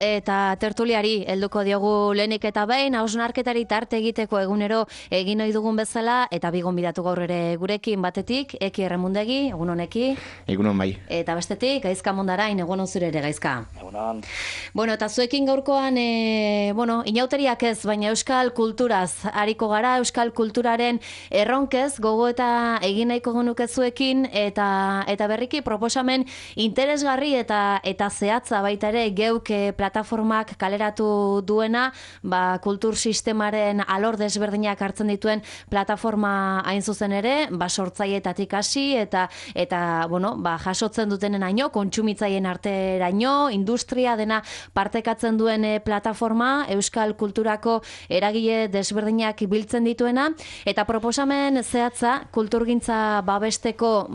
eta tertuliari helduko diogu lehenik eta behin, hausnarketari tarte egiteko egunero egin ohi dugun bezala, eta bi gonbidatu gaur ere gurekin batetik, Eki Erremundegi, egun honeki. Egunon bai. Eta bestetik, Gaizka Mondarain, egun on zure ere, Gaizka. Egunon. Bueno, eta zuekin gaurkoan, inauteriak ez, baina euskal kulturaz hariko gara, euskal kulturaren erronkez, gogo eta egin nahiko genuke zuekin, eta berriki proposamen interesgarri eta zehatza baita ere geuk plataformak kaleratu duena, kultur sistemaren alor desberdinak hartzen dituen plataforma hain zuzen ere, sortzaileetatik hasi eta jasotzen dutenenaino, kontsumitzaien arteraino, industria dena partekatzen duen plataforma, euskal kulturako eragile desberdinak biltzen dituena, eta proposamen zehatza kulturgintza babesteko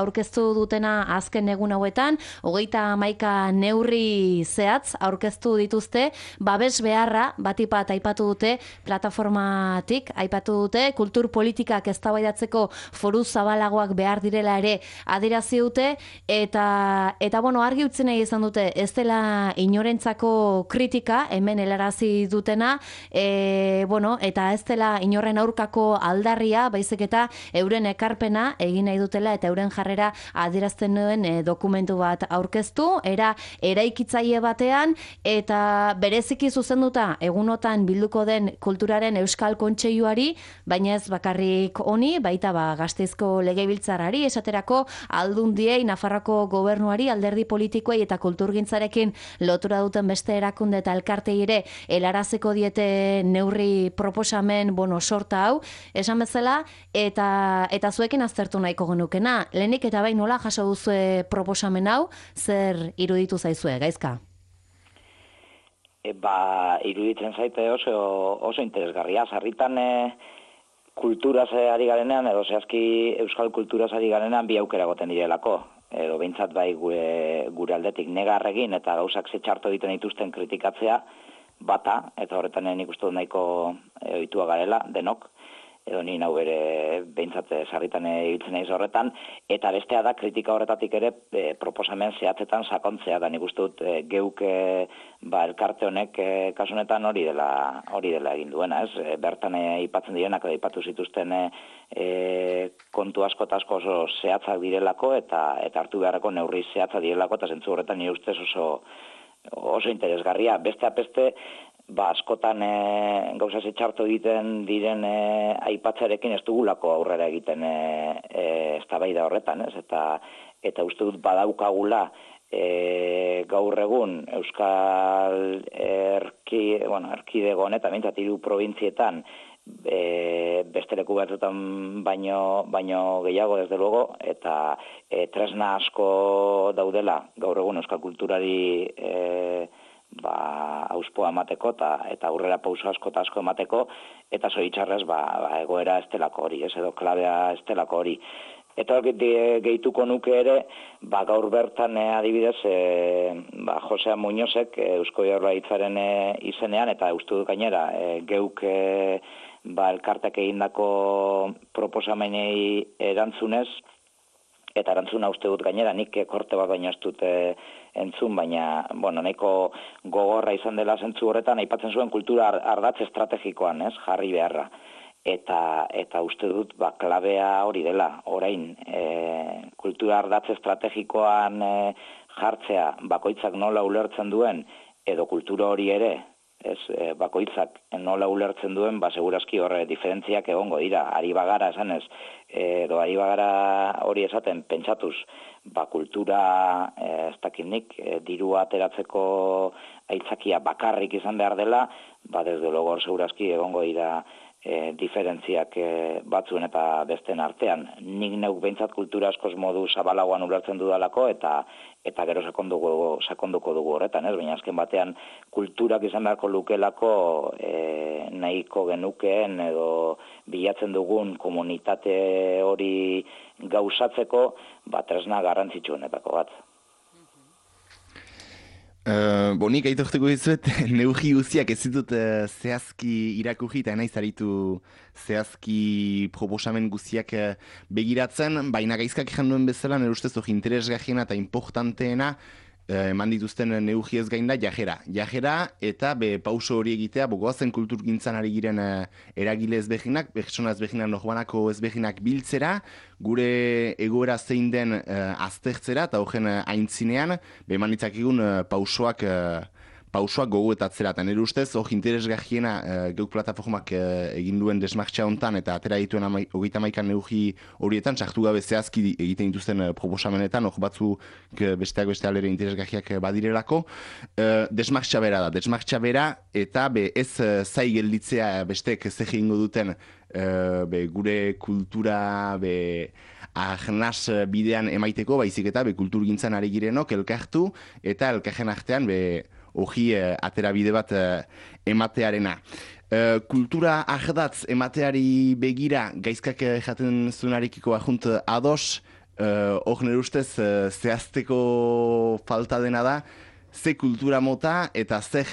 aurkeztu dutena azken egun hauetan, 31 neurri zehatz aurkeztu dituzte, babes beharra batipat aipatu dute plataformatik, aipatu dute kultur politikak eztabaidatzeko foru zabalagoak behar direla ere adierazi dute, eta argi utzi nahi izan dute ez dela inorentzako kritika hemen helarazi dutena, eta ez dela inorren aurkako aldarria, baizik eta euren ekarpena egin nahi dutela eta euren jarrera adierazten duen dokumentu bat aurkeztu, eraikitzaile batean, eta bereziki zuzenduta egunotan bilduko den kulturaren euskal kontseiluari, baina ez bakarrik honi, baita Gasteizko legebiltzarrari, esaterako Aldundiei, Nafarroako gobernuari, alderdi politikoei eta kulturgintzarekin lotura duten beste erakunde eta elkartei ere helaraziko diete neurri proposamen sorta hau, esan bezala, eta zuekin aztertu nahiko genukena. Lehenik eta bai nola jaso duzue proposamen hau, zer iruditu zaizue, Gaizka? Iruditzen zaite oso interesgarria. Sarritan kulturaz ari garenean, edo zehazki euskal kulturaz ari garenean bi aukera goten direlako. Edo behintzat bai gure aldetik negarregin eta gauzak zetxarto egiten dituzten kritikatzea bata, eta horretan nik uste dut nahiko ohitua garela, denok, edo ni nau ere behintzat sarritan ibiltzen naiz horretan, eta bestea da kritika horretatik ere proposamen zehatzetan sakontzea, da nik uste dut geuk elkarte honek kasu honetan hori dela egin duena, ez? Bertan aipatzen direnak edo aipatu zituzten kontu asko eta asko oso zehatzak direlako eta hartu beharreko neurri zehatza direlako, eta zentzu horretan nire ustez oso interesgarria. Besteak beste, askotan gauza txarto egiten diren aipatzarekin ez dugulako aurrera egiten eztabaida horretan, ez? Eta uste dut badaukagula gaur egun Euskal Erkidego honetan, behintzat 3 probintzietan, beste leku batzuetan baino gehiago desde luego, eta tresna asko daudela gaur egun euskal kulturari auspoa emateko eta aurrera pauso asko eta asko emateko, eta zoritxarrez egoera estelako hori, edo klabea estelako hori. Eta gehituko nuke ere, gaur bertan adibidez, Josea Muñozek Eusko Jaurlaritzaren izenean, eta uste dut gainera, geuk elkartek egindako proposamenei erantzunez, eta erantzuna uste dut gainera, nik korte bat baino ez dut entzun, baina nahiko gogorra izan dela zentzu horretan, aipatzen zuen kultura ardatz estrategikoan, ez, jarri beharra. Eta uste dut klabea hori dela, orain, kultura ardatz estrategikoan jartzea bakoitzak nola ulertzen duen, edo kultura hori ere, bakoitzak nola ulertzen duen, segurazki horre diferentziak egongo dira, ari bagara esanez, edo ari bagara hori esaten pentsatuz, kultura ez dakinik, dirua ateratzeko aitzakia bakarrik izan behar dela, desde logo hor segurazki egongo dira diferentziak batzuen eta besten artean. Nik neuk behintzat kultura askoz modu zabalagoan ulertzen dudalako, eta gero sakonduko dugu horretan, ez? Baina azken batean kulturak izan beharko lukelako nahiko genukeen edo bilatzen dugun komunitate hori gauzatzeko tresna garrantzitsuenetako bat. Nik aitortuko dizuet, neurri guztiak ez ditut zehazki irakurri eta naiz aritu zehazki proposamen guztiak begiratzen, baina Gaizkak egin duen bezala, nire ustez hori interesgarriena eta importanteena eman dituzten neugiez gain da jajera eta pauso hori egitea goazen kulturgintzan ari giren eragile ezberdinak, pertsona ezberdinak norbanako ezberdinak biltzera, gure egoera zein den aztertzera eta horren aintzinean eman ditzakegun pausoak gogoetatzera. Eta nire ustez, hor interesgarriena geuk plataformak egin duen desmartxa hontan eta atera dituen 31 neugi horietan, sartu gabe zehazki egiten dituzten proposamenetan, hor batzuk besteak beste alere interesgarriak badirelako. Desmartxa bera da, desmartxa bera eta ez zai gelditzea besteek zer egingo duten gure kultura ahnaz bidean emaiteko, baizik eta kulturgintzan ari girenok elkartu eta elkarren artean hogi atera bide bat ematearena. Kultura ahdatz emateari begira, gaizkak jaten zunarekiko ajunt ados, hor nire ustez zehazteko falta dena da, ze kultura mota eta zer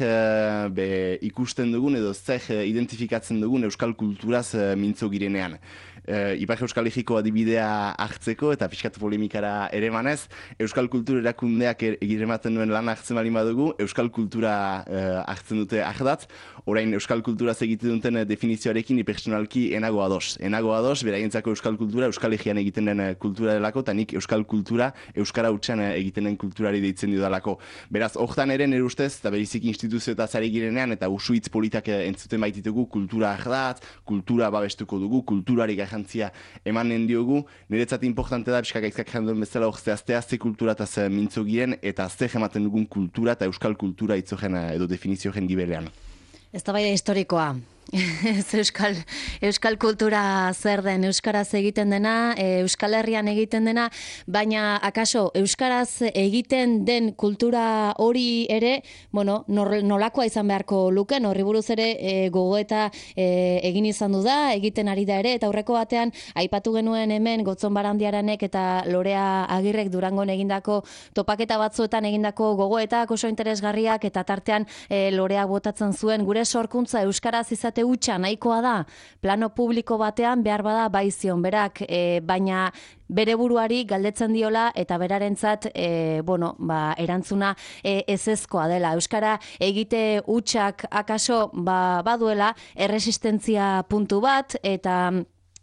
ikusten dugun edo zer identifikatzen dugun euskal kulturaz mintzo girenean. Ipar Euskal Herriko adibidea hartzeko eta pixkat polemikara ere manez, euskal kultura erakundeak egirematen duen lan hartzen bali badugu, euskal kultura hartzen dute ahdatz, orain euskal kulturaz egiten duten definizioarekin personalki enago ados. Enago ados, beraientzako euskal kultura, Euskal Herrian egiten den kultura delako, eta nik euskal kultura, euskara hutsan egiten den kulturari deitzen dudalako. Beraz, hortan ere nire ustez, eta berizik instituzio eta zari girenean, eta usuitz politak entzuten baititugu, kultura ahdatz, kultura babestuko dugu, kulturari garrantzia emanen diogu. Niretzat importante da, pixka gaizkak janduen bezala hor zehaztea ze kultura eta ze mintzo giren, eta ze ematen dugun kultura eta euskal kultura itzogen edo definizioen gibelean. Ez da bai historikoa. Euskal kultura zer den, euskaraz egiten dena, Euskal Herrian egiten dena, baina akaso euskaraz egiten den kultura hori ere, nolakoa izan beharko luken, horri buruz ere gogoeta egin izan du da, egiten ari da ere, eta aurreko batean aipatu genuen hemen Gotzon Barandiaranek eta Lorea Agirrek Durangon egindako topaketa batzuetan egindako gogoetak oso interesgarriak, eta tartean Lorea botatzen zuen gure sorkuntza euskaraz izate hutsa nahikoa da, plano publiko batean behar bada baizion berak, baina bere buruari galdetzen diola eta berarentzat erantzuna ezezkoa dela. Euskara egite hutsak akaso baduela erresistentzia puntu bat, eta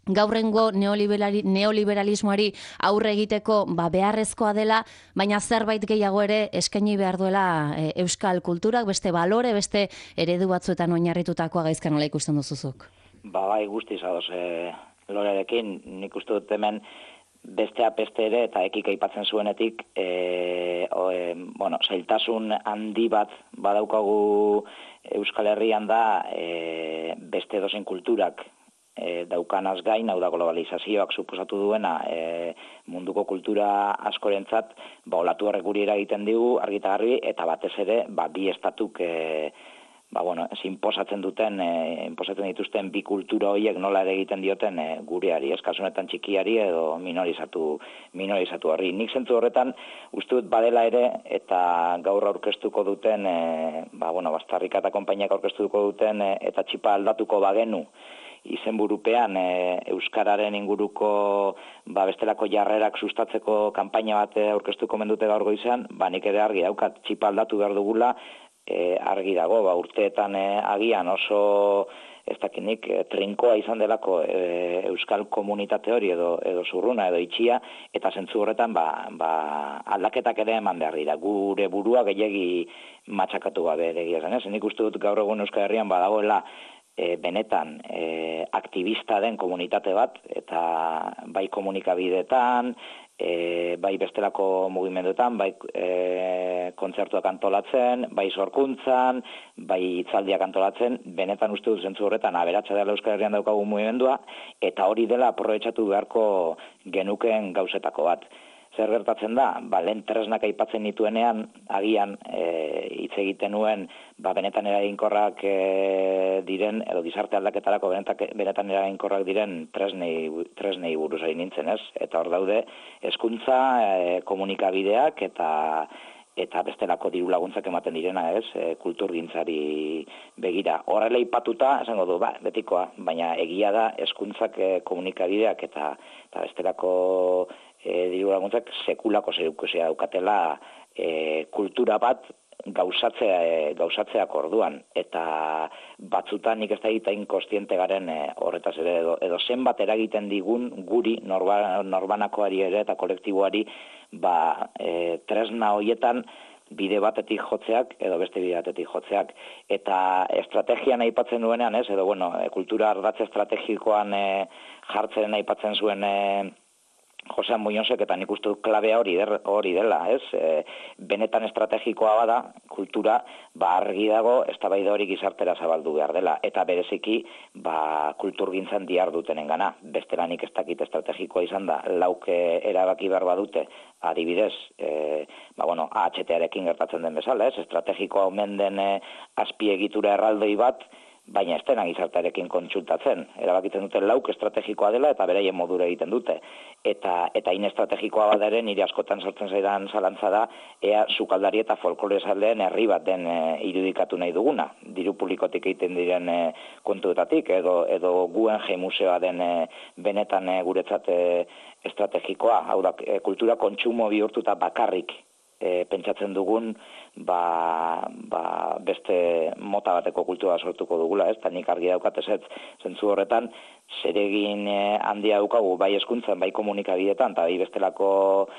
gaurrengo neoliberalismoari aurre egiteko beharrezkoa dela, baina zerbait gehiago ere eskaini behar duela euskal kulturak, beste balore, beste eredu batzuetan oinarritutakoa gaizka nola ikusten duzuzuk? Bai, guztiz ados Lorearekin, nik uste dut hemen bestea peste ere, eta ekik aipatzen zuenetik, zailtasun handi bat badaukagu Euskal Herrian da beste dozen kulturak daukanaz gain, hau da globalizazioak suposatu duena munduko kultura askorentzat olatu horrek guri eragiten digu argita garbi, eta batez ere bi estatuk inposatzen dituzten bi kultura horiek nola ere egiten dioten gureari, eskasunetan txikiari edo minorizatu horri. Nik zentzu horretan uste dut badela ere, eta gaur aurkeztuko duten, Bastarrika eta konpainiak aurkeztuko duten, eta txipa aldatuko bagenu, izenburupean euskararen inguruko bestelako jarrerak sustatzeko kanpaina bat aurkeztuko mendute gaur goizean, nik ere argi daukat txipa aldatu behar dugula, argi dago, urteetan agian oso ez dakinik trinkoa izan delako euskal komunitate hori edo zurruna edo itxia, eta zentzu horretan aldaketak ere eman behar dira, gure burua gehiegi matxakatu gabe egia zen, nik uste dut gaur egun Euskal Herrian badagoela benetan aktivista den komunitate bat, eta bai komunikabideetan, bai bestelako mugimenduetan, bai kontzertuak antolatzen, bai sorkuntzan, bai hitzaldiak antolatzen, benetan uste dut zentzu horretan aberatsa dela Euskal Herrian daukagu mugimendua, eta hori dela aprobetxatu beharko genukeen gauzetako bat. Zer gertatzen da? Lehen tresnak aipatzen nituenean, agian hitz egiten nuen benetan eraginkorrak diren, edo gizarte aldaketarako benetan eraginkorrak diren tresnei buruz ari nintzen, ez? Eta hor daude, hezkuntza, komunikabideak eta bestelako diru laguntzak ematen direna, ez? Kulturgintzari begira. Horrela aipatuta, esango du, betikoa, baina egia da hezkuntzak, komunikabideak eta bestelako diru laguntzak sekulako zerikusia daukatela kultura bat gauzatzeak orduan, eta batzutan nik ez da egiten kostiente garen horretaz ere, edo zenbat eragiten digun guri, norbanakoari ere eta kolektiboari, tresna horietan bide batetik jotzeak edo beste bide batetik jotzeak. Eta estrategian aipatzen duenean, edo kultura ardatz estrategikoan jartzen aipatzen zuen Josean Muñozek, eta nik uste dut klabea hori dela, benetan estrategikoa bada, kultura, argi dago, eztabaida hori gizartera zabaldu behar dela, eta bereziki, kulturgintzan dihardutenen gana. Bestelanik ez dakit estrategikoa izan da, lauk erabaki behar badute, adibidez, AHT-arekin gertatzen den bezala, estrategikoa omen den azpiegitura erraldoi bat, baina ez dena gizartearekin kontsultatzen. Erabakitzen dute lauk estrategikoa dela eta beraien modura egiten dute. Eta inestrategikoa bat ere nire askotan sartzen zaidan zalantza da, ea sukaldari eta folklore zaldeen herri bat den irudikatu nahi duguna. Diru publikotik egiten diren kontuetatik, edo Guggenheim museoa den benetan guretzat estrategikoa. Hau da, kultura kontsumo bihurtuta bakarrik pentsatzen dugun beste mota bateko kultura sortuko dugula, eta nik argi daukat ez zentzu horretan zeregin handia daukagu bai hezkuntzan, bai komunikabideetan, eta bai bestelako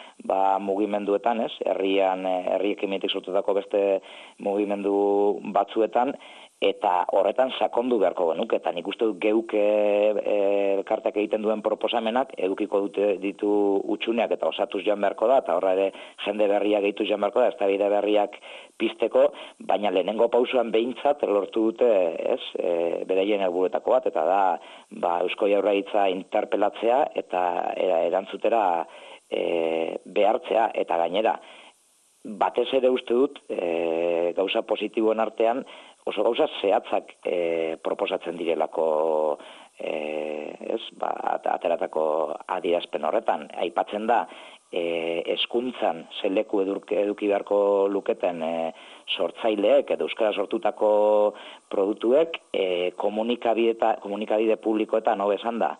mugimenduetan, herriekin mitik sortutako beste mugimendu batzuetan, eta horretan sakondu beharko genuke, eta nik uste dut geuk elkarteak egiten duen proposamenak edukiko ditu utxuneak eta osatuz joan beharko da, eta horra ere jende berriak gehitu joan beharko da, eztabaida berriak pizteko, baina lehenengo pausuan behintzat lortu dute beraien helburuetako bat, eta da Eusko Jaurlaritza interpelatzea eta erantzutera behartzea, eta gainera batez ere uste dut gauza positiboen artean oso gauza zehatzak proposatzen direlako ateratako adierazpen horretan. Aipatzen da, hezkuntzan zeleku eduki beharko luketen sortzaileek edo euskara sortutako produktuek komunikabide publikoetan hobesan da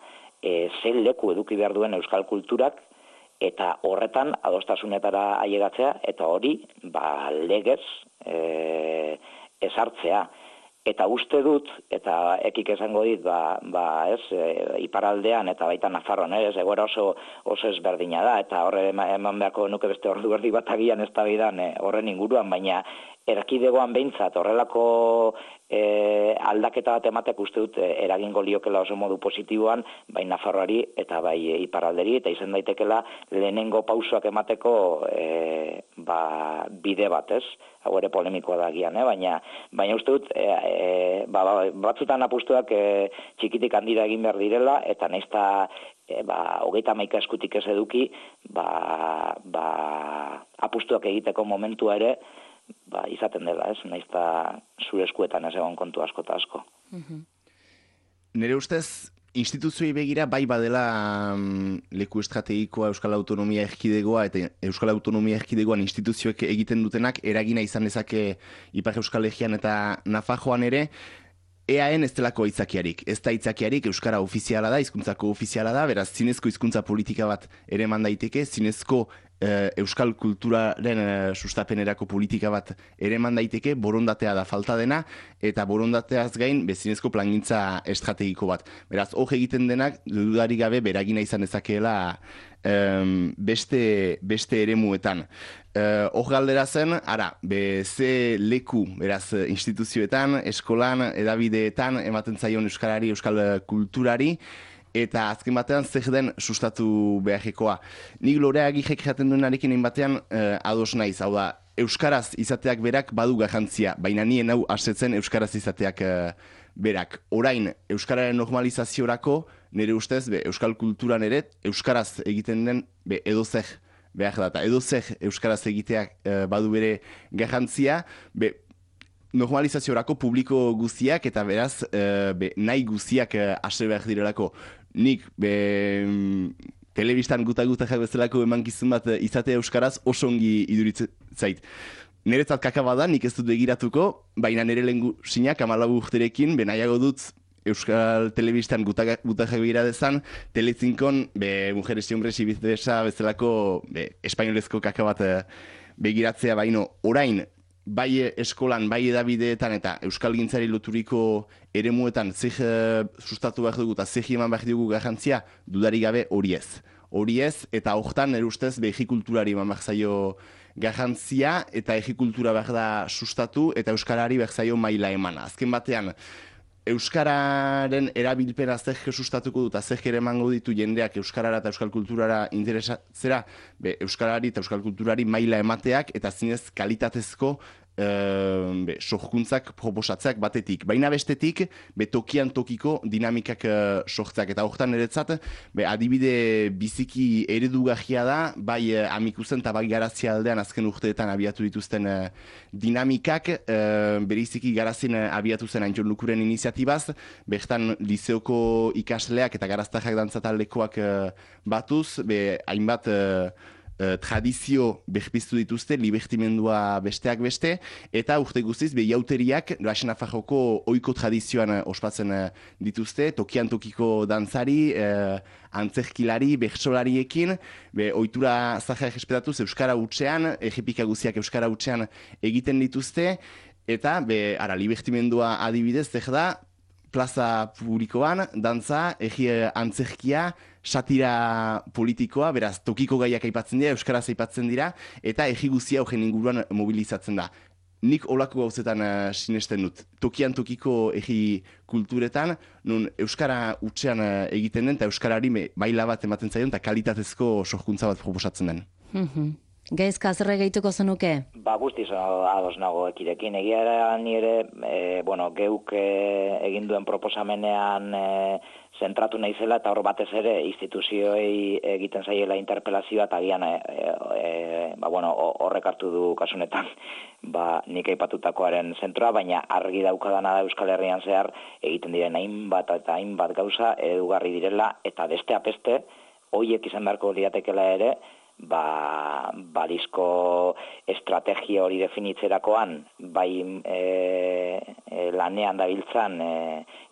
zeleku eduki behar duen euskal kulturak, eta horretan adostasunetara ailegatzea, eta hori legez ezartzea. Eta uste dut, eta ekik esango dit, iparaldean eta baita Nafarroan, egoera oso ezberdina da, eta horre eman beharko nuke beste ordu erdi bat agian eztabaidan horren inguruan, baina erkidegoan behintzat horrelako aldaketa bat ematek uste dut eragingo liokela oso modu positiboan, bai Nafarroari eta bai iparalderi, eta izan daitekela lehenengo pausoak emateko bide bat, hau ere polemikoa da gian, baina uste dut batzutan apustuak txikitik handira egin behar direla, eta naizta 31 eskutik ez eduki apustuak egiteko momentua ere izaten dela, naizta zure eskuetan ez egon kontu asko eta asko. Nire ustez, instituzioei begira bai badela leku estrategikoa Euskal Autonomia Erkidegoa, eta Euskal Autonomia Erkidegoan instituzioek egiten dutenak eragina izan dezake Ipar Euskal Herrian eta Nafarroan ere, EAN ez delako aitzakiarik. Ez da aitzakiarik, euskara ofiziala da, hizkuntzako ofiziala da, beraz zinezko hizkuntza politika bat ere eman daiteke, zinezko euskal kulturaren sustapenerako politika bat ere eman daiteke, borondatea da falta dena, eta borondateaz gain bezinezko plangintza estrategiko bat. Beraz, hor egiten denak, dudarik gabe beragina izan dezakeela beste eremuetan. Hor galdera zen, ze leku, beraz, instituzioetan, eskolan, edabideetan, ematen zaion euskarari, euskal kulturari, eta azken batean zer den sustatu beharrekoa. Nik Lorea Agirrek jaten duenarekin egin batean ados naiz, hau da, euskaraz izateak berak badu garrantzia, baina nien hau asetzen euskaraz izateak berak. Orain, euskararen normalizaziorako, nire ustez, euskal kulturan ere, euskaraz egiten den edozer behar da, eta edozer euskaraz egiteak badu bere garrantzia, normalizaziorako publiko guztiak eta beraz nahi guztiak ase behar direlako. Nik telebistan guta-gutak bezalako emankizun bat izatea euskaraz oso ongi iduritzen zait. Niretzat kakaba da, nik ez dut begiratuko, baina nire lehengu sinak 14 urterekin nahiago dut Euskal Telebistan gutajak begira dezan, Telezinkon, Mujeres y Hombres y Viceversa bezalako espainolezko kaka bat begiratzea baino, orain, bai eskolan, bai edabideetan eta Euskal Gintzari loturiko eremuetan sustatu behar dugu eta zehi eman behar dugu garrantzia, dudarik gabe hori ez. Hori ez, eta hortan nire ustez egikulturari eman behar zaio garrantzia eta egikultura behar da sustatu eta Euskarari behar zaio maila emana. Azken batean, Euskararen erabilpena zer sustatuko dut, zer ere emango ditu jendeak Euskarara eta Euskal Kulturara interesatzera, Euskarari eta Euskal Kulturari maila emateak eta zinez kalitatezko sorkuntzak proposatzeak batetik. Baina bestetik, tokian tokiko dinamikak sortzeak. Eta horretan niretzat, adibide biziki eredugarria da, bai Amikuzen eta bai Garazia aldean azken urteetan abiatu dituzten dinamikak, beriziki Garazien abiatu zen Antxon Lukuren iniziatibaz, bertan lizeoko ikasleak eta garaztajak dantzataldekoak batuz, hainbat tradizio berpiztu dituzte, libertimendua besteak beste, eta urte guztiz, jauteriak, Rasen Afarroko oiko tradizioan ospatzen dituzte, tokian tokiko dantzari, antzerkilari, bertsolariekin, ohitura zahar espetatuz Euskara hutsean, ejipika guziak Euskara hutsean egiten dituzte, eta, libertimendua adibidez, zer da, plaza publikoan, dantza, antzerkia, satira politikoa, beraz, tokiko gaiak aipatzen dira, euskaraz aipatzen dira, eta guzia horren inguruan mobilizatzen da. Nik olako gauzetan sinesten dut. Tokian tokiko kulturetan, nun euskara hutsean egiten den, eta euskarari maila bat ematen zaion, eta kalitatezko sorkuntza bat proposatzen den. Gaizka, zerre gehituko zenuke? Guztiz ados nago ekirekin. Egia nire, geuk egin duen proposamenean zentratu naizela eta hor batez ere instituzioei egiten zaiela interpelazioa eta agian horrek hartu du kasunetan nik aipatutakoaren zentroa, baina argi daukadana da Euskal Herrian zehar egiten diren hainbat eta hainbat gauza edugarri direla eta besteak beste horiek izan beharko liatekela ere balizko estrategia hori definitzerakoan, bai lanean dabiltzan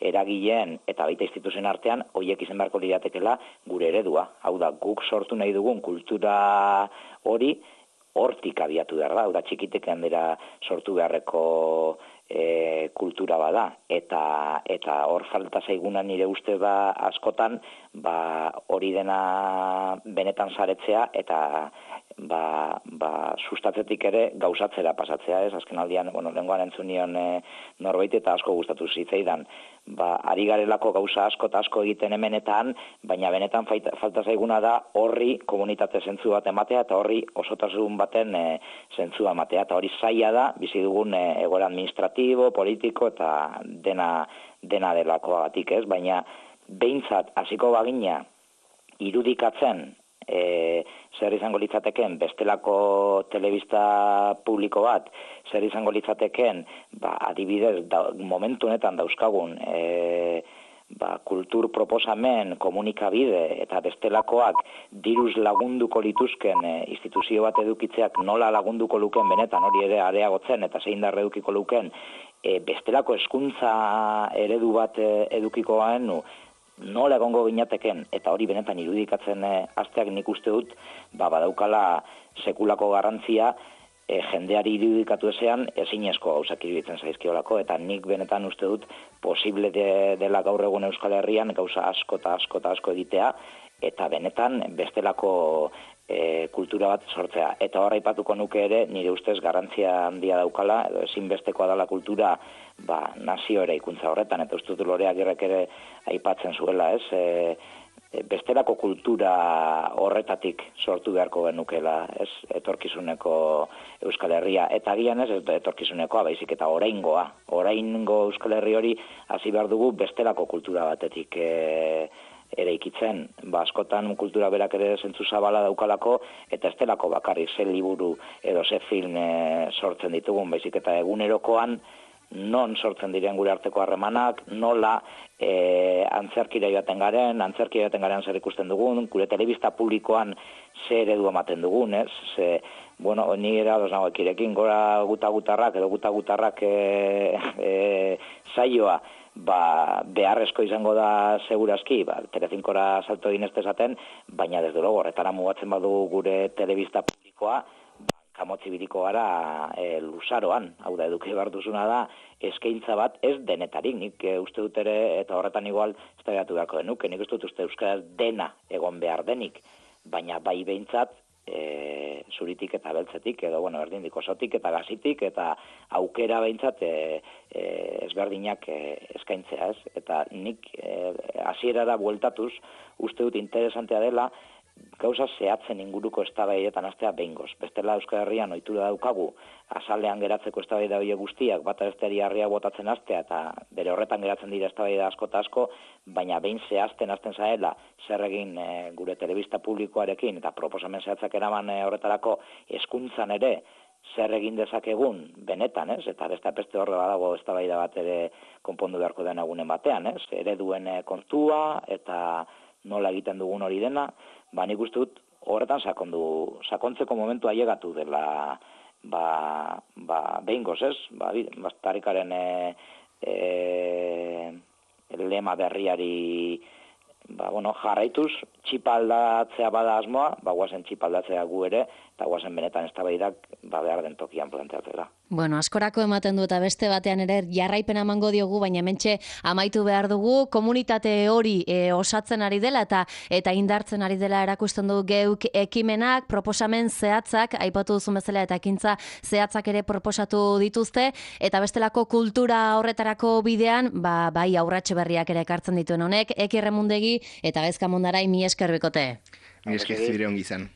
eragileen eta baita instituzioen artean, horiek izan beharko liratekela gure eredua. Hau da, guk sortu nahi dugun kultura hori hortik abiatu behar da, hau da, txikitek handera sortu beharreko kultura bada, eta hor falta zaiguna nire uste askotan hori dena benetan saretzea eta sustatzetik ere gauzatzera pasatzea, ez? Azken aldian, lehengoan entzunion norbait eta asko gustatu zitzaidan. Ari garelako gauza asko eta asko egiten hemenetan, baina benetan falta zaiguna da horri komunitate zentzu bat ematea eta horri osotasun baten zentzua ematea. Eta hori zaila da, bizi dugun egoera administratibo, politiko eta dena delakoagatik, ez? Baina behintzat hasiko bagina irudikatzen zer izango litzateken bestelako telebista publiko bat, zer izango litzateken adibidez momentu honetan dauzkagun kultur proposamen, komunikabide eta bestelakoak diruz lagunduko lituzken instituzio bat edukitzeak nola lagunduko luken benetan hori ere areagotzen eta zein darre edukiko luken bestelako hezkuntza eredu bat edukiko gaenu nola egongo ginateken, eta hori benetan irudikatzen hasteak nik uste dut, badaukala sekulako garrantzia jendeari irudikatu ezean ezinezko gauzak iruditzen zaizkiolako, eta nik benetan uste dut posible dela gaur egun Euskal Herrian gauza asko eta asko eta asko egitea, eta benetan bestelako kultura bat sortzea. Eta horra aipatuko nuke ere, nire ustez garrantzia handia daukala, edo ezinbestekoa dela kultura nazio ere ikuntza horretan, eta uste dut Lorea Agirrek ere aipatzen zuela, ez? Bestelako kultura horretatik sortu beharko genukela, ez? Etorkizuneko Euskal Herria, eta agian ez etorkizunekoa, baizik eta oraingo Euskal Herri hori hasi behar dugu bestelako kultura batetik eraikitzen, askotan kultura berak ere zentzu zabala daukalako, eta ez delako bakarrik ze liburu edo ze film sortzen ditugun, baizik eta egunerokoan non sortzen diren gure arteko harremanak, nola antzerkira joaten garen zer ikusten dugun, gure telebista publikoan zer eredu ematen dugun, ez? Ni era ados nago ekirekin, gora guta-gutarrak edo guta-gutarrak saioa beharrezko izango da segurazki, Telecincora salto egin ez dezaten, baina desde luego horretara mugatzen badu gure telebista publikoa, kamotzi biriko gara luzaroan, hau da eduki behar duzuna da, eskaintza bat ez denetarik, nik uste dut ere, eta horretan igual ez da beharko denuke, nik uste dut euskaraz dena egon behar denik, baina bai behintzat, zuritik eta beltzetik, edo, erdindik osotik eta gazitik, eta aukera behintzat ezberdinak eskaintzea, ez? Eta nik hasierara bueltatuz, uste dut interesantea dela, gauza zehatzen inguruko eztabaidetan hastea behingoz. Bestela Euskal Herrian ohitura daukagu, azalean geratzeko eztabaida horiek guztiak, bata besteari harria botatzen hastea, eta bere horretan geratzen dira eztabaida asko eta asko, baina behin zehazten hasten zaela, zer egin gure telebista publikoarekin, eta proposamen zehatzak eraman horretarako hezkuntzan ere, zer egin dezakegun benetan, ez? Eta beste horre badago eztabaida bat ere konpondu beharko den egunen batean, ez? Ereduen kontua eta nola egiten dugun hori dena, nik uste dut horretan sakontzeko momentua llegatu dela behingoz, ez? Bastarikaren lema berriari jarraituz, txipaldatzea bada asmoa, guazen txipaldatzea gu ere, eta guazen benetan eztabaidak behar den tokian planteatzera. Askorako ematen du eta beste batean ere jarraipena emango diogu, baina hementxe amaitu behar dugu, komunitate hori osatzen ari dela eta indartzen ari dela erakusten du geuk ekimenak, proposamen zehatzak, aipatu duzun bezala eta ekintza zehatzak ere proposatu dituzte, eta bestelako kultura horretarako bidean, bai aurratxe berriak ere ekartzen dituen honek, Eki Erremundegi eta Gaizka Mundarai, mi esker bikote. Mi esker zure ongi izan.